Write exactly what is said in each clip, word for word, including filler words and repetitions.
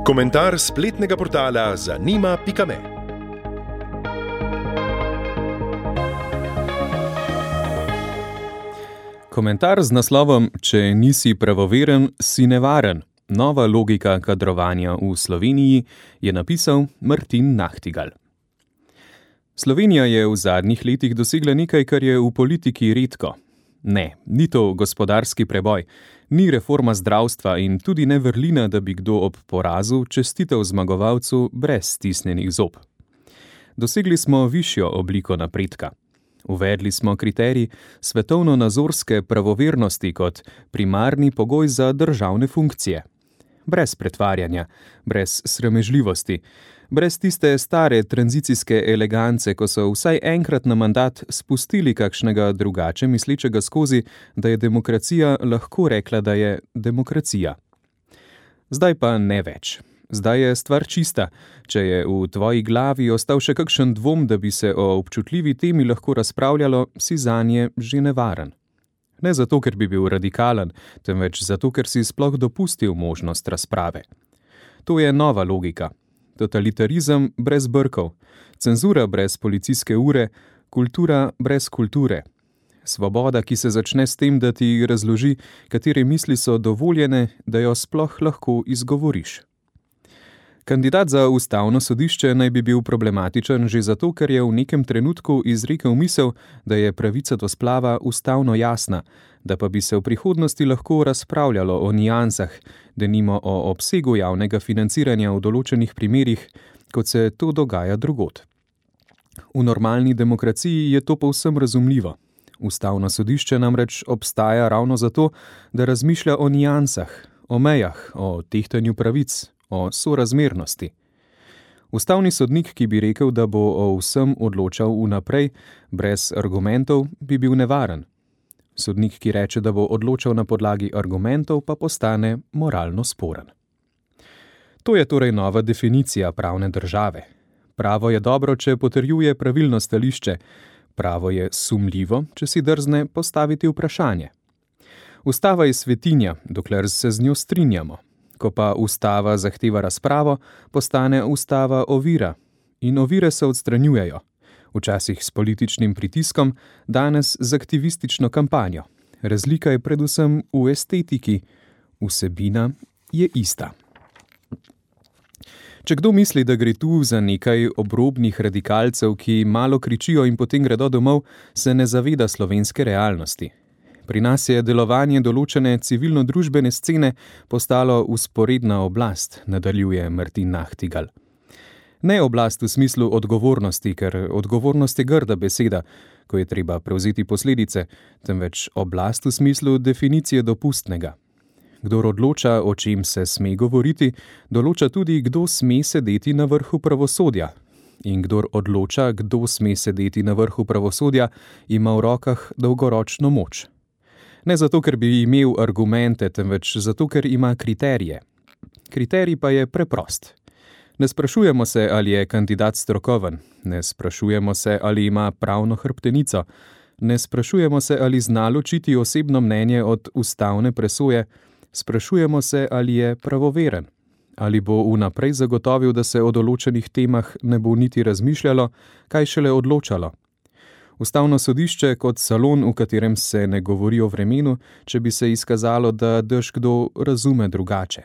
Komentar spletnega portala zanima pika me. Komentar z naslovom Če nisi pravoveren, si nevaren. Nova logika kadrovanja v Sloveniji je napisal Martin Nachtigal. Slovenija je v zadnjih letih dosegla nekaj, kar je v politiki redko. Ne, ni to gospodarski preboj, ni reforma zdravstva in tudi ne vrlina, da bi kdo ob porazu čestital zmagovalcu brez stisnjenih zob. Dosegli smo višjo obliko napredka. Uvedli smo kriterij svetovno-nazorske pravovernosti kot primarni pogoj za državne funkcije. Brez pretvarjanja, brez sramežljivosti, brez tiste stare tranzicijske elegance, ko so vsaj enkrat na mandat spustili kakšnega drugače mislečega skozi, da je demokracija lahko rekla, da je demokracija. Zdaj pa ne več. Zdaj je stvar čista. Če je v tvoji glavi ostal še kakšen dvom, da bi se o občutljivi temi lahko razpravljalo, si zanje že nevaren. Ne zato, ker bi bil radikalen, temveč zato, ker si sploh dopustil možnost razprave. To je nova logika. Totalitarizem brez brkov, cenzura brez policijske ure, kultura brez kulture. Svoboda, ki se začne s tem, da ti razloži, katere misli so dovoljene, da jo sploh lahko izgovoriš. Kandidat za ustavno sodišče naj bi bil problematičen že zato, ker je v nekem trenutku izrekel misel, da je pravica do splava ustavno jasna, da pa bi se v prihodnosti lahko razpravljalo o niansah, denimo o obsegu javnega financiranja v določenih primerih, kot se to dogaja drugod. V normalni demokraciji je to povsem razumljivo. Ustavno sodišče namreč obstaja ravno zato, da razmišlja o niansah, o mejah, o tehtanju pravic, o sorazmernosti. Ustavni sodnik, ki bi rekel, da bo o vsem odločal vnaprej, brez argumentov, bi bil nevaren. Sodnik, ki reče, da bo odločal na podlagi argumentov, pa postane moralno sporen. To je torej nova definicija pravne države. Pravo je dobro, če potrjuje pravilno stališče. Pravo je sumljivo, če si drzne postaviti vprašanje. Ustava je svetinja, dokler se z njo strinjamo. Ko pa ustava zahteva razpravo, postane ustava ovira. In ovire se odstranjujejo. Včasih s političnim pritiskom, danes z aktivistično kampanjo. Razlika je predvsem v estetiki. Vsebina je ista. Če kdo misli, da gre tu za nekaj obrobnih radikalcev, ki malo kričijo in potem gredo domov, se ne zaveda slovenske realnosti. Pri nas je delovanje določene civilno-družbene scene postalo vzporedna oblast, nadaljuje Martin Nachtigal. Ne oblast v smislu odgovornosti, ker odgovornost je grda beseda, ko je treba prevzeti posledice, temveč oblast v smislu definicije dopustnega. Kdor odloča, o čem se sme govoriti, določa tudi, kdo sme sedeti na vrhu pravosodja. In kdor odloča, kdo sme sedeti na vrhu pravosodja, ima v rokah dolgoročno moč. Ne zato, ker bi imel argumente, temveč zato, ker ima kriterije. Kriterij pa je preprost. Ne sprašujemo se, ali je kandidat strokoven, ne sprašujemo se, ali ima pravno hrbtenico, ne sprašujemo se, ali zna ločiti osebno mnenje od ustavne presoje, sprašujemo se, ali je pravoveren, ali bo vnaprej zagotovil, da se o določenih temah ne bo niti razmišljalo, kaj šele odločalo. Ustavno sodišče kot salon, v katerem se ne govori o vremenu, če bi se izkazalo, da dež kdo razume drugače.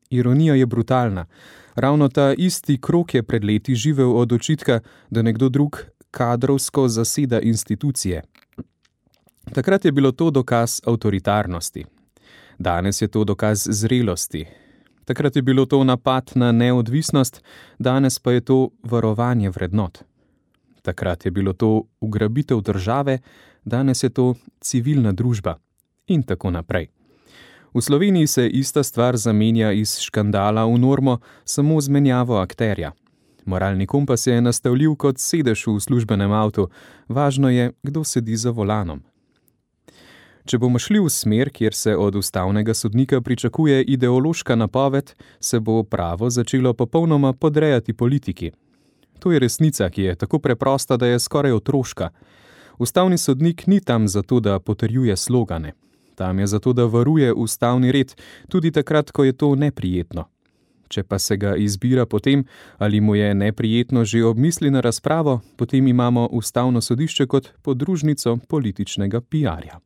Ironija je brutalna. Ravno ta isti krog je pred leti živel od očitka, da nekdo drug kadrovsko zaseda institucije. Takrat je bilo to dokaz avtoritarnosti. Danes je to dokaz zrelosti. Takrat je bilo to napad na neodvisnost, danes pa je to varovanje vrednot. Takrat je bilo to ugrabitev države, danes je to civilna družba in tako naprej. V Sloveniji se ista stvar zamenja iz škandala v normo samo z menjavo akterja. Moralni kompas je nastavljiv kot sedež v službenem avtu, važno je, kdo sedi za volanom. Če bomo šli v smer, kjer se od ustavnega sodnika pričakuje ideološka napoved, se bo pravo začelo popolnoma podrejati politiki. To je resnica, ki je tako preprosta, da je skoraj otroška. Ustavni sodnik ni tam zato, da potrjuje slogane. Tam je zato, da varuje ustavni red, tudi takrat, ko je to neprijetno. Če pa se ga izbira potem, ali mu je neprijetno že ob misli na razpravo, potem imamo Ustavno sodišče kot podružnico političnega piarja.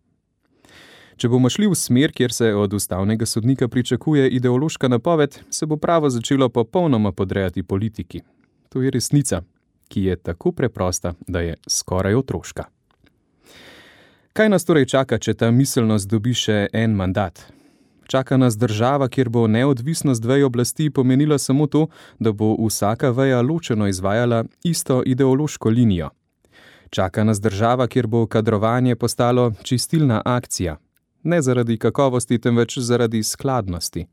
Če bomo šli v smer, kjer se od ustavnega sodnika pričakuje ideološka napoved, se bo pravo začelo popolnoma podrejati politiki. To je resnica, ki je tako preprosta, da je skoraj otroška. Kaj nas torej čaka, če ta miselnost dobi še en mandat? Čaka nas država, kjer bo neodvisnost vej oblasti pomenila samo to, da bo vsaka veja ločeno izvajala isto ideološko linijo. Čaka nas država, kjer bo kadrovanje postalo čistilna akcija. Ne zaradi kakovosti, temveč zaradi skladnosti.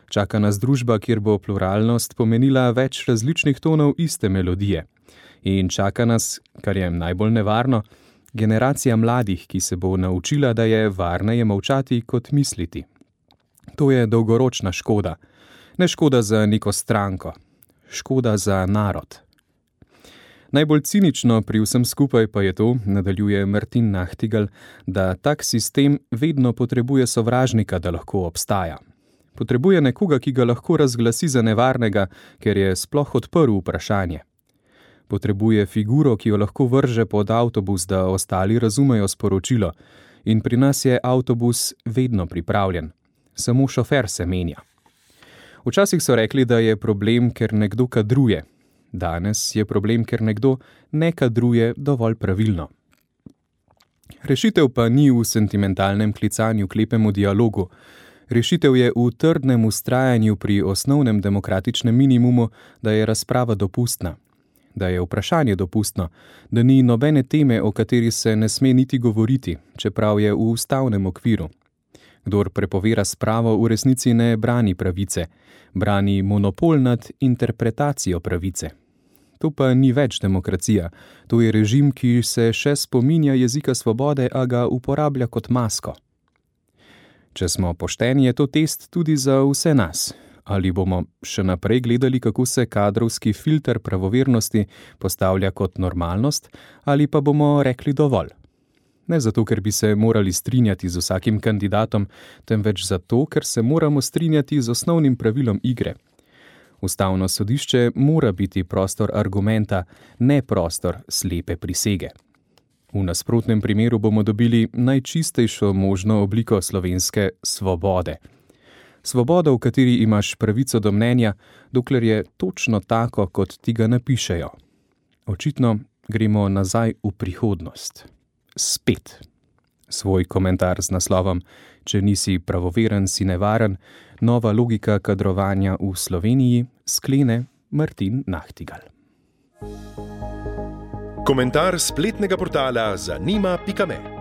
Čaka nas družba, kjer bo pluralnost pomenila več različnih tonov iste melodije. In čaka nas, kar je najbolj nevarno, generacija mladih, ki se bo naučila, da je varneje molčati kot misliti. To je dolgoročna škoda. Ne škoda za neko stranko. Škoda za narod. Najbolj cinično pri vsem skupaj pa je to, nadaljuje Martin Nachtigal, da tak sistem vedno potrebuje sovražnika, da lahko obstaja. Potrebuje nekoga, ki ga lahko razglasi za nevarnega, ker je sploh odprl vprašanje. Potrebuje figuro, ki jo lahko vrže pod avtobus, da ostali razumejo sporočilo. In pri nas je avtobus vedno pripravljen. Samo šofer se menja. Včasih so rekli, da je problem, ker nekdo kadruje. Danes je problem, ker nekdo ne kadruje dovolj pravilno. Rešitev pa ni v sentimentalnem klicanju k lepemu dialogu. Rešitev je v trdnem vztrajanju pri osnovnem demokratičnem minimumu, da je razprava dopustna. Da je vprašanje dopustno, da ni nobene teme, o kateri se ne sme niti govoriti, čeprav je v ustavnem okviru. Kdor prepove razpravo, v resnici ne brani pravice, brani monopol nad interpretacijo pravice. To pa ni več demokracija, to je režim, ki se še spominja jezika svobode, a ga uporablja kot masko. Če smo pošteni, je to test tudi za vse nas. Ali bomo še naprej gledali, kako se kadrovski filter pravovernosti postavlja kot normalnost, ali pa bomo rekli dovolj. Ne zato, ker bi se morali strinjati z vsakim kandidatom, temveč zato, ker se moramo strinjati z osnovnim pravilom igre. Ustavno sodišče mora biti prostor argumenta, ne prostor slepe prisege. V nasprotnem primeru bomo dobili najčistejšo možno obliko slovenske svobode. Svoboda, v kateri imaš pravico do mnenja, dokler je točno tako, kot ti ga napišejo. Očitno gremo nazaj v prihodnost. Spet. Svoj komentar z naslovom Če nisi pravoveren, si nevaren, nova logika kadrovanja v Sloveniji, sklene Martin Nachtigal. Komentar spletnega portala zanima pika me.